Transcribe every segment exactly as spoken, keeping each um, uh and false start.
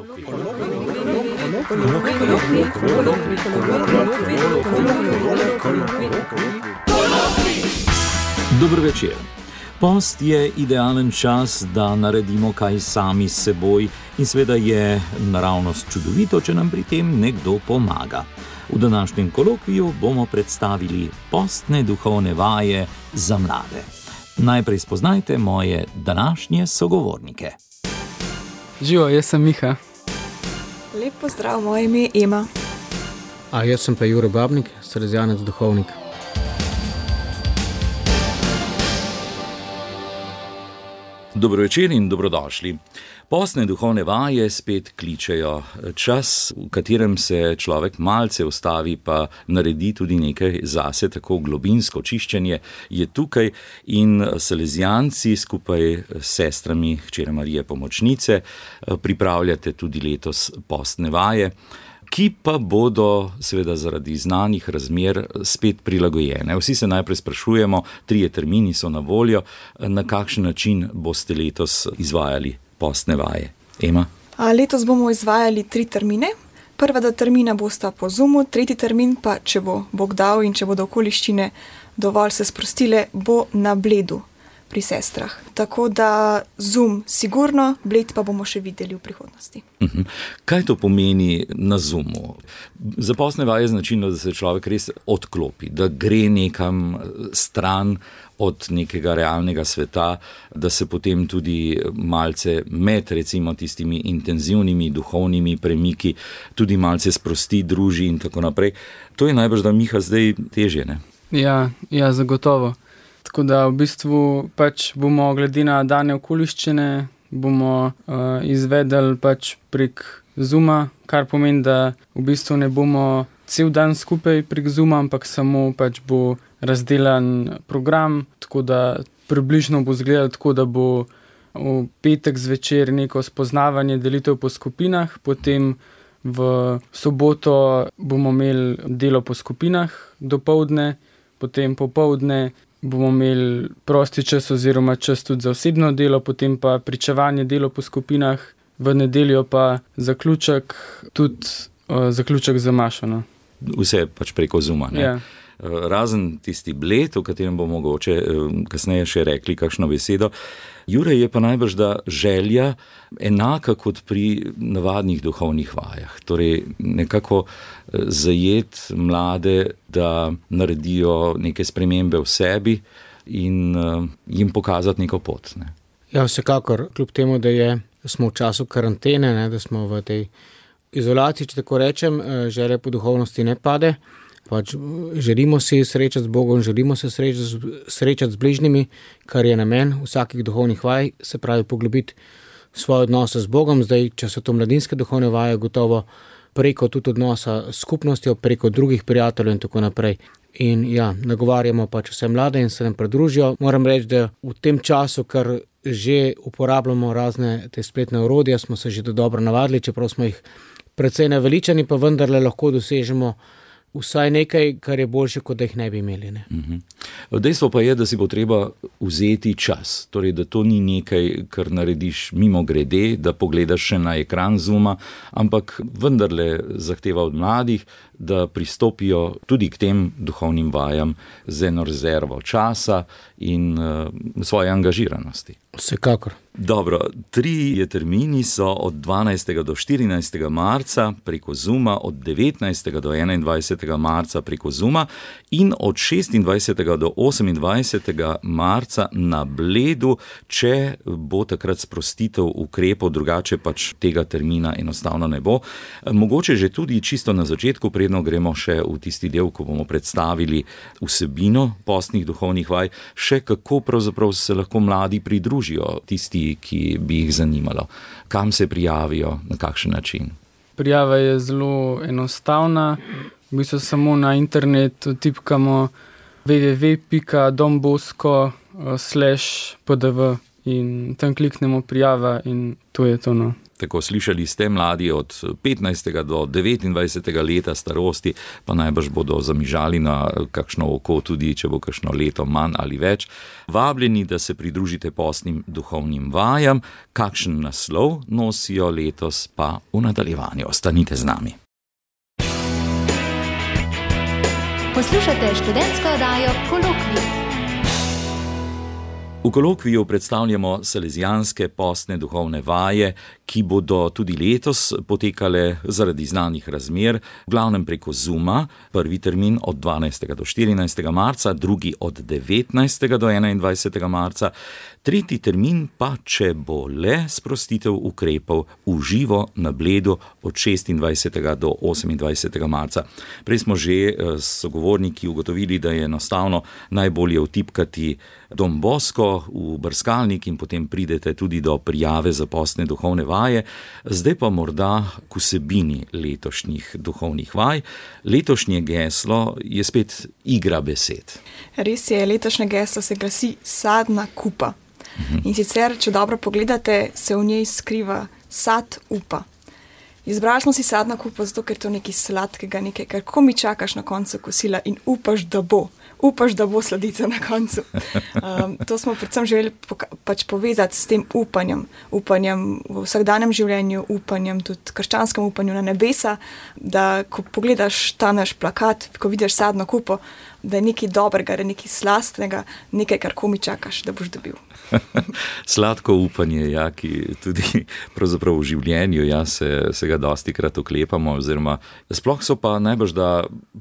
Dober večer. Post je idealen čas, da naredimo kaj sami s seboj in seveda je naravnost čudovito, če nam pri tem nekdo pomaga. V današnjem kolokviju bomo predstavili postne duhovne vaje za mlade. Najprej spoznajte moje današnje sogovornike. Živo, jaz sem Miha. Lep pozdrav, moje ime je Ema. A jaz sem pa Jure Babnik, salezijanec duhovnik. Dobro večer in dobrodošli. Postne duhovne vaje spet kličejo. Čas, v katerem se človek malce ustavi pa naredi tudi nekaj zase, tako globinsko čiščenje, je tukaj in salezijanci skupaj s sestrami hčere Marije Pomočnice pripravljate tudi letos postne vaje, ki pa bodo seveda zaradi znanih razmer spet prilagojene. Vsi se najprej sprašujemo, trije termini so na voljo, na kakšen način boste letos izvajali postne vaje. Ema? A, letos bomo izvajali tri termine. Prva dva termina bosta po Zoomu, tretji termin pa, če bo Bog dal in če bodo okoliščine dovolj se sprostile, bo na Bledu pri sestrah. Tako da Zoom sigurno, Bled pa bomo še videli v prihodnosti. Uh-huh. Kaj to pomeni na Zoomu? Za postne vaje je značilno, da se človek res odklopi, da gre nekam stran od nekega realnega sveta, da se potem tudi malce med recimo tistimi intenzivnimi duhovnimi premiki tudi malce sprosti, druži in tako naprej. To je najbrž, da Miha zdaj težje, ne? Ja, ja, zagotovo. Tako da v bistvu pač bomo glede na dane okoliščine bomo uh, izvedeli pač prek Zooma, kar pomeni, da v bistvu ne bomo cel dan skupaj prek Zooma, ampak samo pač bo razdelan program, tako da približno bo izgledalo tako, da bo v petek zvečer neko spoznavanje, delitev po skupinah, potem v soboto bomo imeli delo po skupinah dopoldne, potem popoldne bomo imeli prosti čas oziroma čas tudi za osebno delo, potem pa pričevanje, delo po skupinah, v nedeljo pa zaključek, tudi uh, zaključek za Mašo. No. Vse pač preko Zooma, ne? Ja. Razen tisti Bled, o katerem bomo mogoče kasneje še rekli kakšno besedo. Jure, je pa najbrž da želja enaka kot pri navadnih duhovnih vajah. Torej nekako zajet mlade, da naredijo neke spremembe v sebi in jim pokazati neko pot. Ne? Ja, vsekakor, kljub temu, da je, smo v času karantene, ne, da smo v tej izolaciji, če tako rečem, želja po duhovnosti ne pade. Pač želimo si srečati z Bogom, želimo se srečati, srečati z bližnjimi, kar je namen vsakih duhovnih vaj, se pravi poglobiti svoje odnose z Bogom. Zdaj, če so to mladinske duhovne vaje, gotovo preko tudi odnosa s skupnostjo, preko drugih prijateljev in tako naprej. In ja, nagovarjamo pač vse mlade in se nam pridružijo. Moram reči, da v tem času, kar že uporabljamo razne te spletne orodja, smo se že dobro navadili, čeprav smo jih precej naveličani, pa vendarle lahko dosežemo vsaj nekaj, kar je boljše, kot da jih ne bi imeli. Ne? Uh-huh. Dejstvo pa je, da si bo treba vzeti čas. Torej, da to ni nekaj, kar narediš mimo grede, da pogledaš še na ekran Zooma, ampak vendarle zahteva od mladih, da pristopijo tudi k tem duhovnim vajam z eno rezervo časa in uh, svoje angažiranosti. Vsekakor. Dobro, tri termini so od dvanajstega do štirinajstega marca preko Zooma, od devetnajstega do enaindvajsetega marca preko Zooma in od šestindvajsetega do osemindvajsetega marca na Bledu, če bo takrat sprostitev ukrepov, drugače pač tega termina enostavno ne bo. Mogoče že tudi čisto na začetku, predno gremo še v tisti del, ko bomo predstavili vsebino postnih duhovnih vaj, še kako pravzaprav se lahko mladi pridružijo tisti, ki bi jih zanimalo. Kam se prijavijo, na kakšen način? Prijava je zelo enostavna. V bistvu samo na internetu tipkamo w w w pika dombosko slash p d v in tam kliknemo prijava in to je to. No. Tako slišali ste, mladi od petnajstega do devetindvajsetega leta starosti, pa najbrž bodo zamižali na kakšno oko tudi, če bo kakšno leto manj ali več. Vabljeni, da se pridružite postnim duhovnim vajam, kakšen naslov nosijo letos pa v nadaljevanju. Ostanite z nami. Poslušate študentsko oddajo Kolokvij. V kolokviju predstavljamo salezijanske postne duhovne vaje, ki bodo tudi letos potekale zaradi znanih razmer, v glavnem preko Zooma, prvi termin od dvanajstega do štirinajstega marca, drugi od devetnajstega do enaindvajsetega marca, tretji termin pa, če bo le sprostitev ukrepov v živo na Bledu od šestindvajsetega do osemindvajsetega marca. Prej smo že s sogovorniki ugotovili, da je enostavno najbolje vtipkati Dom Bosko v brskalnik in potem pridete tudi do prijave za postne duhovne vaje. Zdaj pa morda k vsebini letošnjih duhovnih vaj. Letošnje geslo je spet igra besed. Res je, letošnje geslo se glasi sadna kupa. Uh-huh. In sicer, če dobro pogledate, se v njej skriva sad upa. Izbrali smo si sadna kupa zato, ker to nekaj sladkega, nekaj, kar komi čakaš na koncu kosila in upaš, da bo. Upaš, da bo sladica na koncu. Um, to smo predvsem želeli poka- pač povezati s tem upanjem. Upanjem v vsakdanjem življenju, upanjem tudi krščanskem upanju na nebesa, da ko pogledaš ta naš plakat, ko vidiš sadno kupo, da je nekaj dobrega, da je nekaj slastnega, nekaj, kar komi čakaš, da boš dobil. Sladko upanje, ja, ki tudi pravzaprav v življenju, ja, se, se ga dosti krat oklepamo, oziroma sploh so pa najbrž, da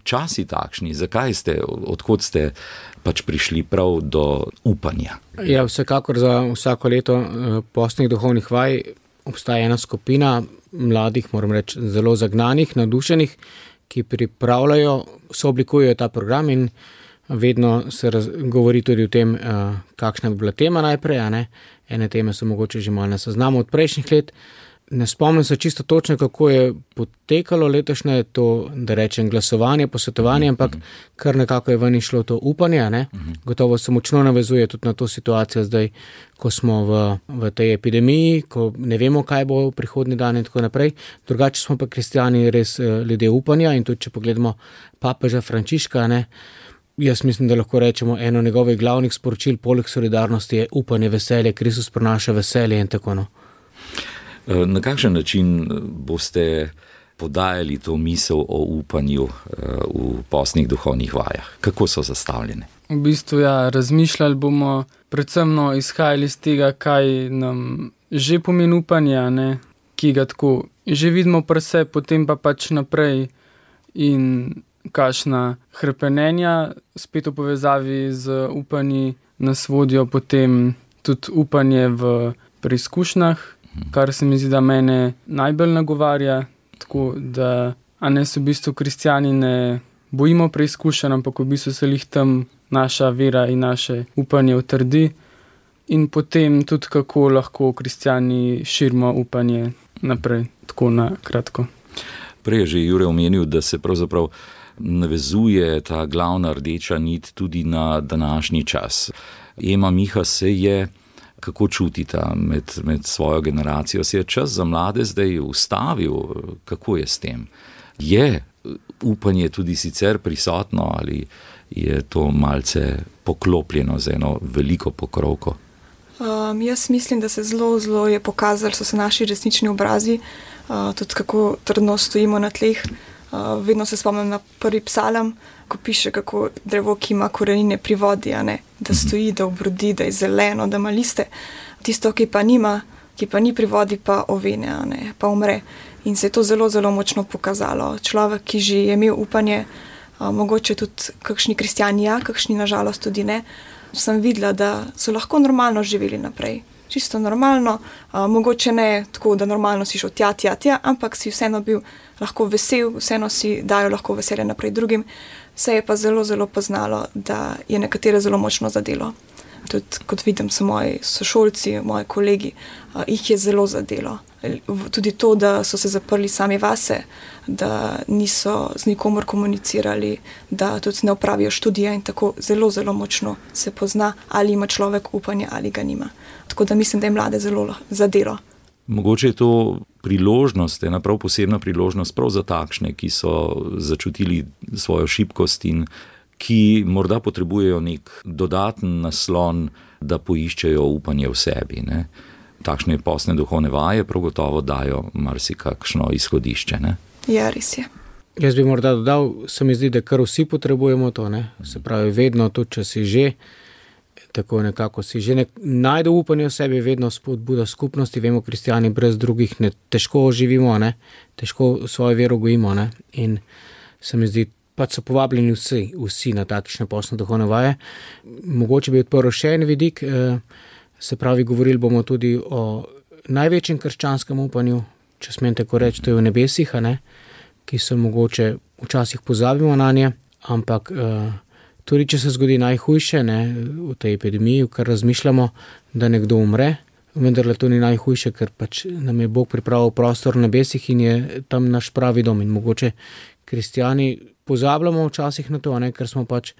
časi takšni, zakaj ste, odkot ste pač prišli prav do upanja? Ja, vsekakor za vsako leto postnih duhovnih vaj obstaja ena skupina mladih, moram reči, zelo zagnanih, navdušenih, ki pripravljajo, sooblikujejo ta program in vedno se raz, govori tudi o tem, uh, kakšna bi bila tema najprej, a ne? Ene teme so mogoče že malo na seznamu od prejšnjih let. Ne spomnim se čisto točno, kako je potekalo letošnje to, da rečem, glasovanje, posvetovanje, ampak kar nekako je ven išlo to upanje, a ne? Gotovo se močno navezuje tudi na to situacijo zdaj, ko smo v, v tej epidemiji, ko ne vemo, kaj bo v prihodnji dan in tako naprej. Drugače smo pa kristjani res uh, ljudje upanja in tudi, če pogledamo papeža Frančiška, ne? Jaz mislim, da lahko rečemo, eno njegovih glavnih sporočil poleg solidarnosti je upanje, veselje, Kristus prinaša veselje in tako no. Na kakšen način boste podajali to misel o upanju v postnih duhovnih vajah? Kako so zastavljene? V bistvu, ja, razmišljali bomo predvsem no, izhajali iz tega, kaj nam že pomeni upanje, ne, ki ga tako že vidimo pri sebi, potem pa pač naprej in kakšna hrepenenja, spet v povezavi z upanji nas vodijo potem tudi upanje v preizkušnjah, kar se mi zdi, da mene najbolj nagovarja, tako da, a ne se v bistvu kristjani ne bojimo preizkušenj, ampak v bistvu se jih tam naša vera in naše upanje utrdi in potem tudi kako lahko kristjani širimo upanje naprej, tako na kratko. Prej je že Jure omenil, da se pravzaprav navezuje ta glavna rdeča nit tudi na današnji čas. Ema Miha se je, kako čutita med, med svojo generacijo, se je čas za mlade zdaj ustavil, kako je s tem? Je upanje tudi sicer prisotno ali je to malce poklopljeno z eno veliko pokrovko? Um, jaz mislim, da se zelo, zelo je pokazali, so se naši resnični obrazi, uh, tudi kako trdno stojimo na tleh. Uh, vedno se spomnim na prvi psalm, ko piše, kako drevo, ki ima korenine pri vodi, a ne, da stoji, da obrodi, da je zeleno, da ima liste. Tisto, ki pa nima, ki pa ni pri vodi, pa ovene, a ne, pa umre. In se je to zelo, zelo močno pokazalo. Človek, ki že je imel upanje, uh, mogoče tudi kakšni kristjani, ja, kakšni nažalost tudi ne, sem videla, da so lahko normalno živeli naprej. Čisto normalno, uh, mogoče ne tako, da normalno si šel tja, tja, tja, ampak si vseeno bil lahko vesel, vseeno si dajo lahko veselje naprej drugim. Se je pa zelo, zelo poznalo, da je nekatere zelo močno zadelo. Tudi kot vidim, so moji sošolci, moji kolegi, jih je zelo zadelo. Tudi to, da so se zaprli sami vase, da niso z nikomor komunicirali, da tudi ne opravijo študija in tako zelo, zelo močno se pozna, ali ima človek upanje ali ga nima. Tako da mislim, da je mlade zelo zadelo. Mogoče je to priložnost, ena prav posebna priložnost prav za takšne, ki so začutili svojo šibkost in ki morda potrebujejo nek dodaten naslon, da poiščejo upanje v sebi. Ne? Takšne postne duhovne vaje prav gotovo dajo marsikakšno izhodišče. Ne? Ja, res je. Jaz bi morda dodal, se mi zdi, da kar vsi potrebujemo to. Ne? Se pravi, vedno tudi, če si že, tako nekako si že nek, najde upanje v sebi, vedno spodbuda skupnosti. Vemo, kristijani brez drugih ne, težko živimo, ne? Težko svojo vero gojimo. Ne? In se mi zdi, pač so povabljeni vsi, vsi na takšne postne duhovne vaje. Mogoče bi odprl še en vidik, se pravi, govorili bomo tudi o največjem krščanskem upanju, če smem tako reči, to je v nebesih, a ne? Ki so mogoče včasih pozabimo na nje, ampak tudi če se zgodi najhujše, ne, v tej epidemiji, v kar razmišljamo, da nekdo umre, vendar to ni najhujše, ker pač nam je Bog pripravil prostor v nebesih in je tam naš pravi dom. In mogoče kristijani pozabljamo včasih na to, ne, ker smo pač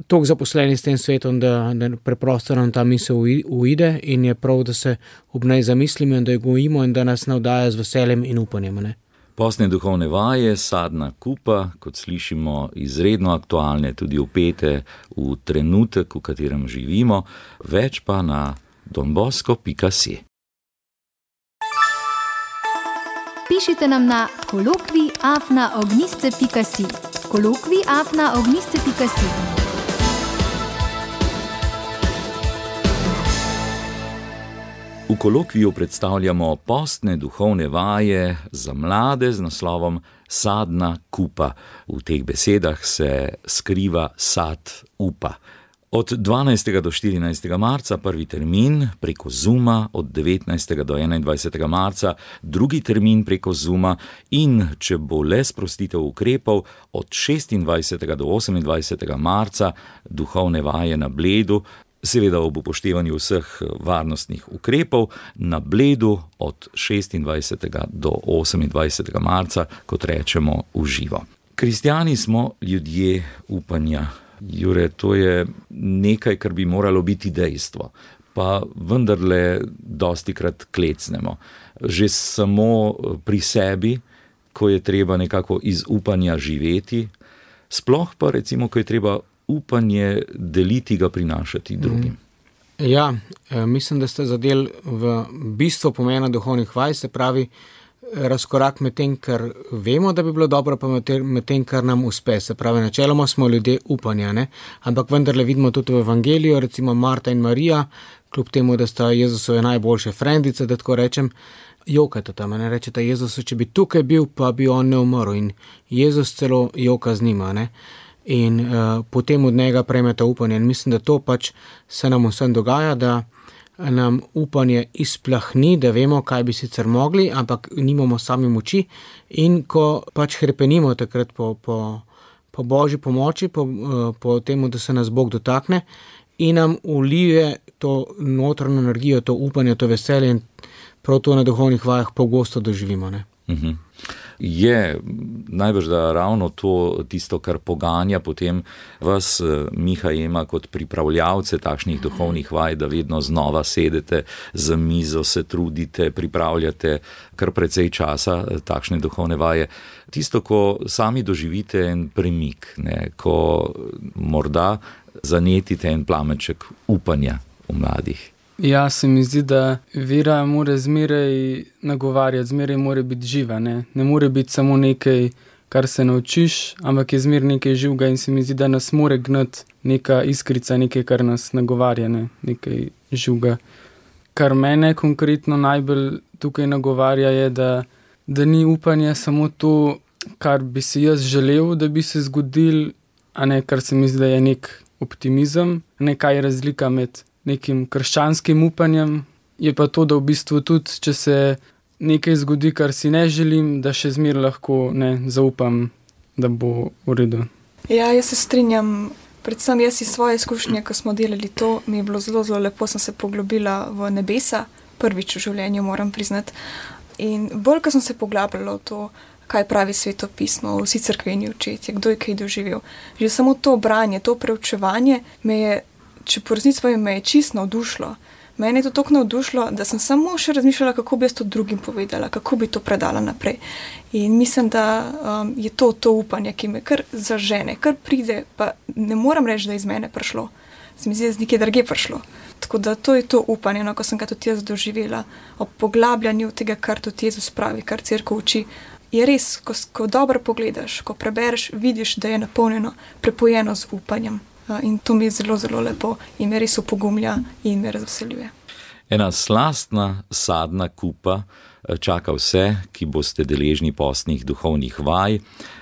toliko zaposleni s tem svetom, da, da preprosto nam ta misel uide in je prav, da se ob njej zamislimo in da jo gojimo in da nas navdaja z veseljem in upanjem. Ne. Postne duhovne vaje, sadna kupa, kot slišimo, izredno aktualne, tudi vpete v trenutek, v katerem živimo, več pa na donbosco pika si. Pišite nam na kolokvij afna ognjišče pika si. kolokvij afna ognjišče pika si. V kolokviju predstavljamo postne duhovne vaje za mlade z naslovom Sadna kupa. V teh besedah se skriva sad upa. Od dvanajstega do štirinajstega marca prvi termin preko Zooma, od devetnajstega do enaindvajsetega marca drugi termin preko Zooma in, če bo le sprostitev ukrepov, od šestindvajsetega do osemindvajsetega marca duhovne vaje na Bledu, seveda ob upoštevanju vseh varnostnih ukrepov, na Bledu od šestindvajsetega do osemindvajsetega marca, kot rečemo, v živo. Kristjani smo ljudje upanja. Jure, to je nekaj, kar bi moralo biti dejstvo, pa vendarle dostikrat klecnemo. Že samo pri sebi, ko je treba nekako iz upanja živeti, sploh pa recimo, ko je treba upanje deliti, ga prinašati drugim. Ja, mislim, da ste zadeli v bistvo pomena duhovnih vaj, se pravi razkorak med tem, kar vemo, da bi bilo dobro, pa med tem, kar nam uspe. Se pravi, načeloma smo ljudje upanja, ne? Ampak vendarle vidimo tudi v evangeliju, recimo Marta in Marija, kljub temu, da sta Jezusove najboljše frendice, da tako rečem, jokata tam, ne rečeta Jezusu, če bi tukaj bil, pa bi on ne umrl. In Jezus celo joka z njima, ne? In uh, potem od njega prejmeta upanje. In mislim, da to pač se nam vsem dogaja, da nam upanje izplahni, da vemo, kaj bi sicer mogli, ampak nimamo sami moči. In ko pač hrepenimo takrat po, po, po Božji pomoči, po, uh, po temu, da se nas Bog dotakne in nam ulije to notranjo energijo, to upanje, to veselje in prav to na duhovnih vajah pogosto doživimo. Ne? Uh-huh. Je najbrž, da ravno to tisto, kar poganja potem vas, Miha Ema, kot pripravljavce takšnih duhovnih vaj, da vedno znova sedete za mizo, se trudite, pripravljate kar precej časa takšne duhovne vaje. Tisto, ko sami doživite en premik, ne, ko morda zanetite en plamenček upanja v mladih. Ja, se mi zdi, da vera mora zmeraj nagovarjati, zmeraj mora biti živa. Ne, ne more biti samo nekaj, kar se naučiš, ampak je zmeraj nekaj živega in se mi zdi, da nas mora gnati neka iskrica, nekaj, kar nas nagovarja, ne, nekaj živega. Kar mene konkretno najbolj tukaj nagovarja je, da, da ni upanje samo to, kar bi si jaz želel, da bi se zgodil, a ne kar se mi zdi, da je nek optimizem, nekaj razlika med nekim krščanskim upanjem, je pa to, da v bistvu tudi, če se nekaj zgodi, kar si ne želim, da še zmeraj lahko ne zaupam, da bo v redu. Ja, jaz se strinjam, Predvsem jaz iz svoje izkušnje, ko smo delali to, mi je bilo zelo, zelo lepo, sem se poglobila v nebesa, prvič v življenju moram priznati. In bolj, ko sem se poglabljala v to, kaj pravi svetopismo, vsi cerkveni očetje, kdo je kaj doživel. Že samo to branje, to preučevanje me je, če po resnici povem, me je čisto navdušilo. Mene je to toliko navdušilo, da sem samo še razmišljala, kako bi jaz to drugim povedala, kako bi to predala naprej. In mislim, da um, je to to upanje, ki me kar zažene, kar pride, pa ne moram reči, da je iz mene prišlo. Se mi zdi, da je z nekje drugje prišlo. Tako da to je to upanje, no, ko sem ga tudi jaz doživela, ob poglabljanju tega, kar tudi Jezus pravi, kar cerkev uči. Je res, ko, ko dobro pogledaš, ko prebereš, vidiš, da je napolnjeno, prepojeno z upanjem. In to mi je zelo, zelo lepo in me res opogumlja in me razveseljuje. Ena slastna, sadna kupa čaka vse, ki boste deležni postnih duhovnih vaj,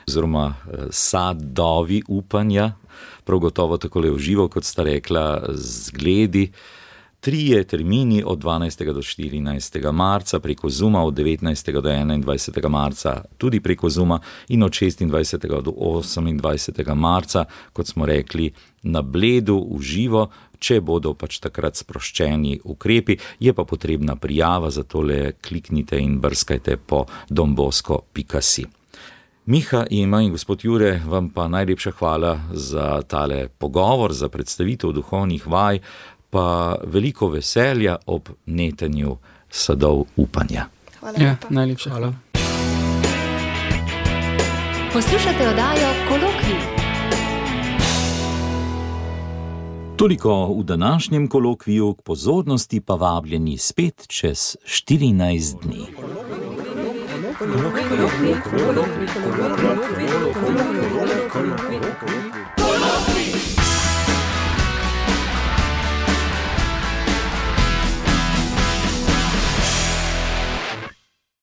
oziroma sadovi upanja, prav gotovo takole v živo, kot sta rekla, zgledi. Trije termini od dvanajstega do štirinajstega marca preko Zooma, od devetnajstega do enaindvajsetega marca tudi preko Zooma in od šestindvajsetega do osemindvajsetega marca, kot smo rekli, na Bledu v živo, če bodo pač takrat sproščeni ukrepi, je pa potrebna prijava, zato le kliknite in brskajte po dombosko pika si. Miha, Ema in gospod Jure, vam pa najlepša hvala za tale pogovor, za predstavitev duhovnih vaj, pa veliko veselja ob netenju sadov upanja. Hvala lepa. Ja, najlepša hvala. Poslušate oddajo Kolokvij. Toliko v današnjem kolokviju, k pozornosti pa vabljeni spet čez štirinajst dni. Kolokvij.